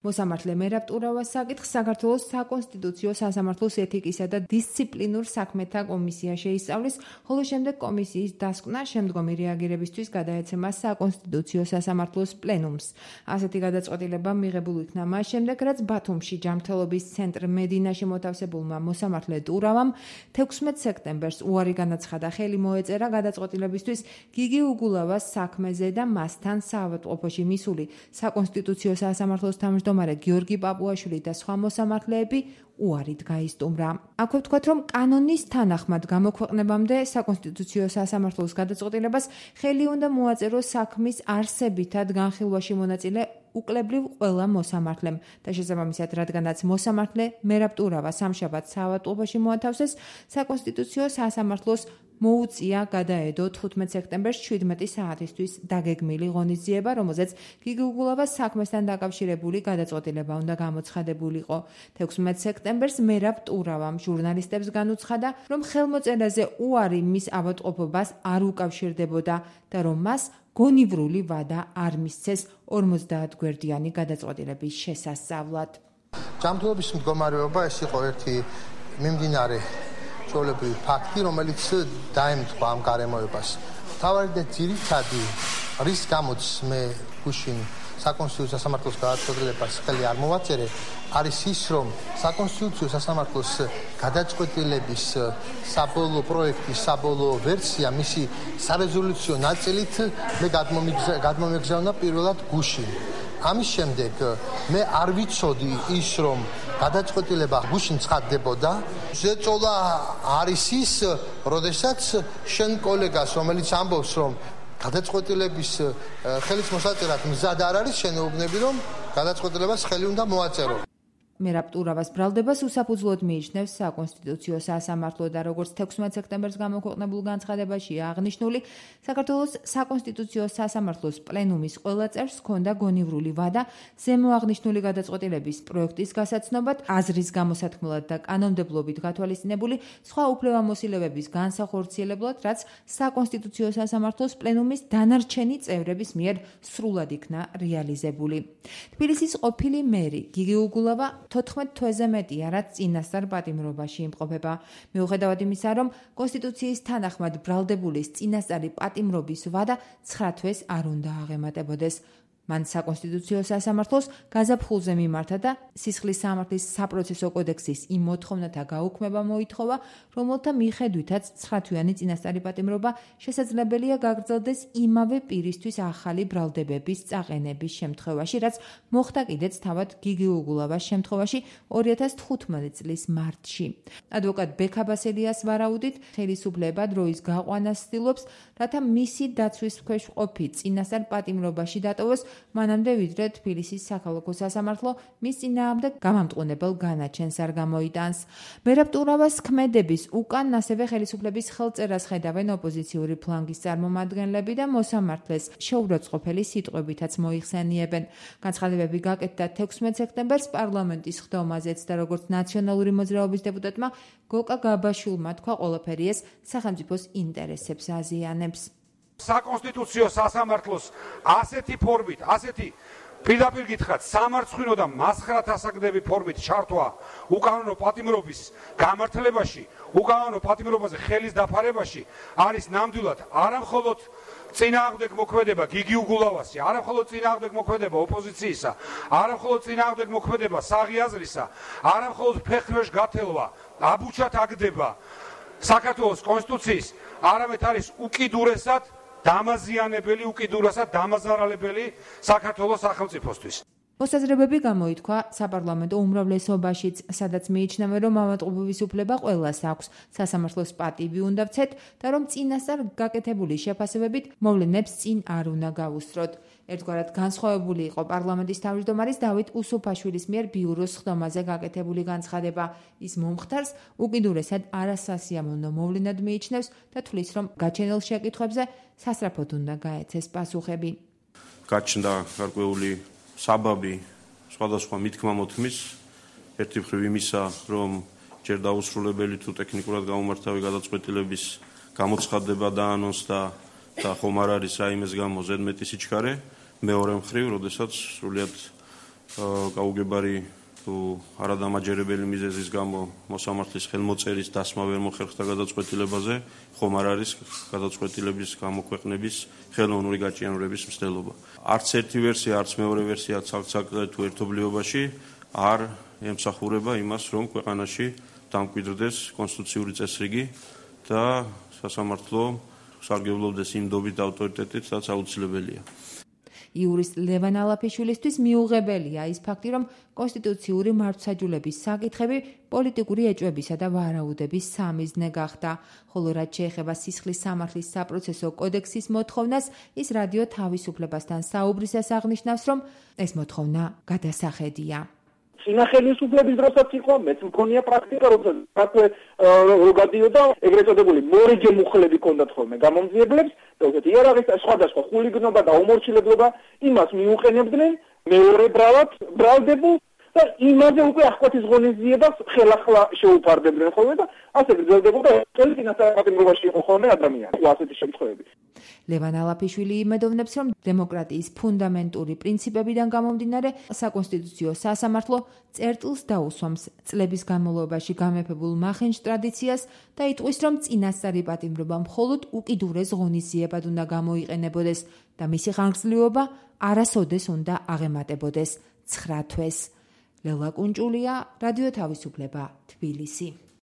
მოსამართლე მერაბ ტურავას საკითხს საქართველოს საკონსტიტუციო სასამართლოს ეთიკისა და დისციპლინურ საქმეთა კომისია შეისწავლის, ხოლო შემდეგ კომისიის დასკვნა შემდგომი რეაგირებისთვის გადაეცემა საკონსტიტუციო სასამართლოს პლენუმს. ასეთი გადაწყვეტილება მიღებულ იქნა მას შემდეგ, რაც ბათუმში ჯანმრთელობის ცენტრ მედინაში მოთავსებულმა მოსამართლე ტურავამ 16 სექტემბერს უარი განაცხადა, ხელი მოეწერა გადაწყვეტილებისთვის გიგი უგულავას საქმეზე და მასთან საავადმყოფოში მისული საკონსტიტუციო სასამართლოს თავმჯდომარე გიორგი პაპუაშვილი და სხვა მოსამართლეები უარით გაისტუმრა. აქვე ვთქვათ, რომ კანონის თანახმად გამოქვეყნებამდე საკონსტიტუციო სასამართლოს გადაწყვეტილებას ხელი უნდა მოაწეროს საქმის არსებითად განხილვაში მონაწილე უკლებრივ ყველა მოსამართლემ და შესაბამისად, რადგანაც მოსამართლე მერაბ ტურავა სამშაბათს საავადმყოფოში მოათავსეს, საკონსტიტუციო სასამართლოს მოუწია გადაედო 15 სექტემბერს 17 საათისთვის დაგეგმილი ღონისძიება, რომელზეც გიგი უგულავას საქმესთან დაკავშირებული გადაწყვეტილება უნდა გამოცხადებულიყო. 16 სექტემბერს მერაბ ტურავამ ჟურნალისტებს განუცხადა, რომ ხელმოწერაზე უარი მის ავადმყოფობას არ უკავშირდებოდა და რომ მას გონივრული ვადა არ მისცეს 50 გვერდიანი გადაწყვეტილების შესასწავლად. ჯანმრთელობის მდგომარეობა ეს იყო ერთი მიმდინარე ჩვეულებრივი ფაქტი, რომელიც დაემთხვა ამ გარემოებას. მთავარი და ძირითადი, რის გამოც მე გუშინ საკონსტიტუციო სასამართლოს გადაწყვეტილებას ხელი არ მოვაწერე, არის ის, რომ საკონსტიტუციო სასამართლოს გადაწყვეტილების საბოლოო პროექტის საბოლოო ვერსია, მისი სარეზოლუციო ნაწილით მე გადმომეგზავნა პირველად გუშინ. ამის შემდეგ მე არ ვიცოდი ის, რომ გადაწყვეტილება გუშინ ცხადდებოდა. ზეწოლა არის ის, როდესაც შენ კოლეგას, რომელიც ამბობს, რომ გადაწყვეტილების ხელის მოსაწერად მზად არ არის, შენეუბნები, რომ გადაწყვეტილებას ხელი უნდა მოაწერო. მერაბ ტურავას ბრალდებას უსაფუძვლოდ მიიჩნევს საკონსტიტუციო სასამართლო და როგორც 16 სექტემბერს გამოქვეყნებულ განცხადებაშია აღნიშნული, საქართველოს საკონსტიტუციო სასამართლოს პლენუმის ყველა წევრს ჰქონდა გონივრული ვადა ზემო აღნიშნული გადაწყვეტილების პროექტის გასაცნობად, აზრის გამოსათქმელად და კანონმდებლობით გათვალისწინებული სხვა უფლებამოსილებების განსახორციელებლად, რაც საკონსტიტუციო სასამართლოს პლენუმის დანარჩენი წევრების მიერ სრულად იქნა რეალიზებული. თბილისის ყოფილი მერი გიგი უგულავა 14 თვეზე მეტია, რაც წინასწარ პატიმრობაში იმყოფება. მიუხედავად იმისა, რომ კონსტიტუციის თანახმად ბრალდებულის წინასწარი პატიმრობის ვადა 9 თვეს არ უნდა აღემატებოდეს. მან საკონსტიტუციო სასამართლოს გაზაფხულზე მიმართა და სისხლის სამართლის საპროცესო კოდექსის იმ მოთხოვნათა გაუქმება მოითხოვა, რომელთა მიხედვითაც 9 თვიანი წინასწარი პატიმრობა შესაძლებელია გაგრძელდეს იმავე პირისთვის ახალი ბრალდებების წაყენების შემთხვევაში, რაც მოხდა კიდეც თავად გიგი უგულავას შემთხვევაში 2015 წლის მარტში. ადვოკატ ბექაბასელიას ვარაუდით, ხელისუფლება დროის გაყვანას ცდილობს, რათა მისი დაცვის ქვეშ ყოფი წინასწარ პატიმრობაში დატოვოს, მანამდე ვიდრე თბილისის საქალაქო სასამართლო მის წინააღმდეგ გამამტყუნებელ განაჩენს არ გამოიტანს. მერაბ ტურავას ქმედების უკან ასევე ხელისუფლების ხელწერას ხედავენ ოპოზიციური ფლანგის წარმომადგენლები და მოსამართლეს შეურაცხყოფელი სიტყვებითაც მოიხსენიებენ. განცხადებები გაკეთდა 16 სექტემბერს პარლამენტის ხდომაზეც და როგორც ნაციონალური მოძრაობის დეპუტატმა გოკა გაბაშვილმა თქვა, ყველაფერი ეს სახელმწიფოს ინტერესებს აზიანებს. საკონსტიტუციო სასამართლოს ასეთი ფორმით, ასეთი პირდაპირ გითხრათ, სამარცხვინო და მასხრათ ასაგდები ფორმით ჩართვა უკანონო პატიმრობის გამართლებაში, უკანონო პატიმრობაზე ხელის დაფარებაში არის ნამდვილად არამხოლოდ წინააღმდეგ მოქმედება გიგი უგულავასი, არამხოლოდ წინააღმდეგ მოქმედება ოპოზიციისა, არამხოლოდ წინააღმდეგ მოქმედება საღი აზრისა, არამხოლოდ ფეხქვეშ გათელვა, აბუჩად აგდება საქართველოს კონსტიტუციის, არამედ არის უკიდურესად დამაზიანებელი, უკიდურესად დამაზარალებელი საქართველოს სახელმწიფოსთვის. მოსაზრებები გამოითქვა საპარლამენტო უმრავლესობაშიც, სადაც მიიჩნევენ, რომ ავადმყოფობის უფლება ყველას აქვს, სასამართლოს პატივი უნდა ვცეთ და რომ წინასწარ გაკეთებული შეფასებებით მოვლენებს წინ არ უნდა გავუსწროთ. ერთგვარად განსხვავებული იყო პარლამენტის თავმჯდომარის დავით უსუფაშვილის მიერ ბიუროს ხდომაზე გაკეთებული განცხადება. ის მომხდარს უკიდურესად არასასიამოვნო მოვლენად მიიჩნევს და თვლის, რომ გაჩენილ შეკითხვებზე სასწრაფოდ უნდა გაეცეს პასუხები. გაჩნდა გარკვეული საბაბი სხვადასხვა მითქმა-მოთქმის, ერთი მხრივ იმისა, რომ ჯერ დაუსრულებელი თუ ტექნიკურად გამომართავი გადაწყვეტილების გამოცხადება დაანონსდა და ხომ არ არის რაიმეს გამო ზედმეტი სიჩქარე, მეორე მხრივ, როდესაც სრულიად გაუგებარი თუ არადამაჯერებელი მიზეზის გამო მოსამართლის ხელმოწერის დასმა ვერ მოხერხდა გადაწყვეტილებაზე, ხომ არ არის გადაწყვეტილების გამოქვეყნების ხელოვნური გაჭიანურების მცდელობა. არც ერთი ვერსია, არც მეორე ვერსია ცალ-ცალკე თუ ერთობლიობაში არ ემსახურება იმას, რომ ქვეყანაში დამკვიდრდეს კონსტიტუციური წესრიგი და სასამართლო სარგებლობდეს იმ დობით და ავტორიტეტით, რაც აუცილებელია. იურისტ ლევან ალაფიშვილისთვის მიუღებელია ის ფაქტი, რომ კონსტიტუციური მართლმსაჯულების საკითხები პოლიტიკური ეჭვებისა და ვარაუდების სამიზნე გახდა, ხოლო რაც შეეხება სისხლის სამართლის საპროცესო კოდექსის მოთხოვნას, ის რადიო თავისუფლებასთან საუბრისას აღნიშნავს, რომ ეს მოთხოვნა გადასახედია. წინა ხელისუფლების დროსაც იყო, მეც მქონია პრაქტიკა, როდესაც გადიოდა ეგრეთ წოდებული მორიჯე მუხლები ჰქონდათ ხოლმე გამომძიებლებს, როგორც იარაღის სხვადასხვა ხულიგნობა და უმორჩილებლობა იმას მიუყენებდნენ მეორე ბრალდებულ და იმაზე უკვე აღკვეთის ღონისძიებას ხელახლა შეუფარდებდნენ ხოლმე და ასე გრძელდებოდა წელი წინასწარმეტყველებაში იყო ხოლმე ადამიანი ასეთი შემთხვევები. ლევან ალაფიშვილი იმედოვნებს, რომ დემოკრატიის ფუნდამენტური პრინციპებიდან გამომდინარე საკონსტიტუციო სასამართლო წერტილს დაუსვამს წლების განმავლობაში გამეფებულ მახენჯ ტრადიციას და იტყვის, რომ წინასწარი პატიმრობა მხოლოდ უკიდურეს ღონისძიებად უნდა გამოიყენებოდეს და მისი ხანგრძლივობა არასოდეს უნდა აღემატებოდეს 9 თვეს. ლელა კუნჭულია, რადიო თავისუფლება, თბილისი.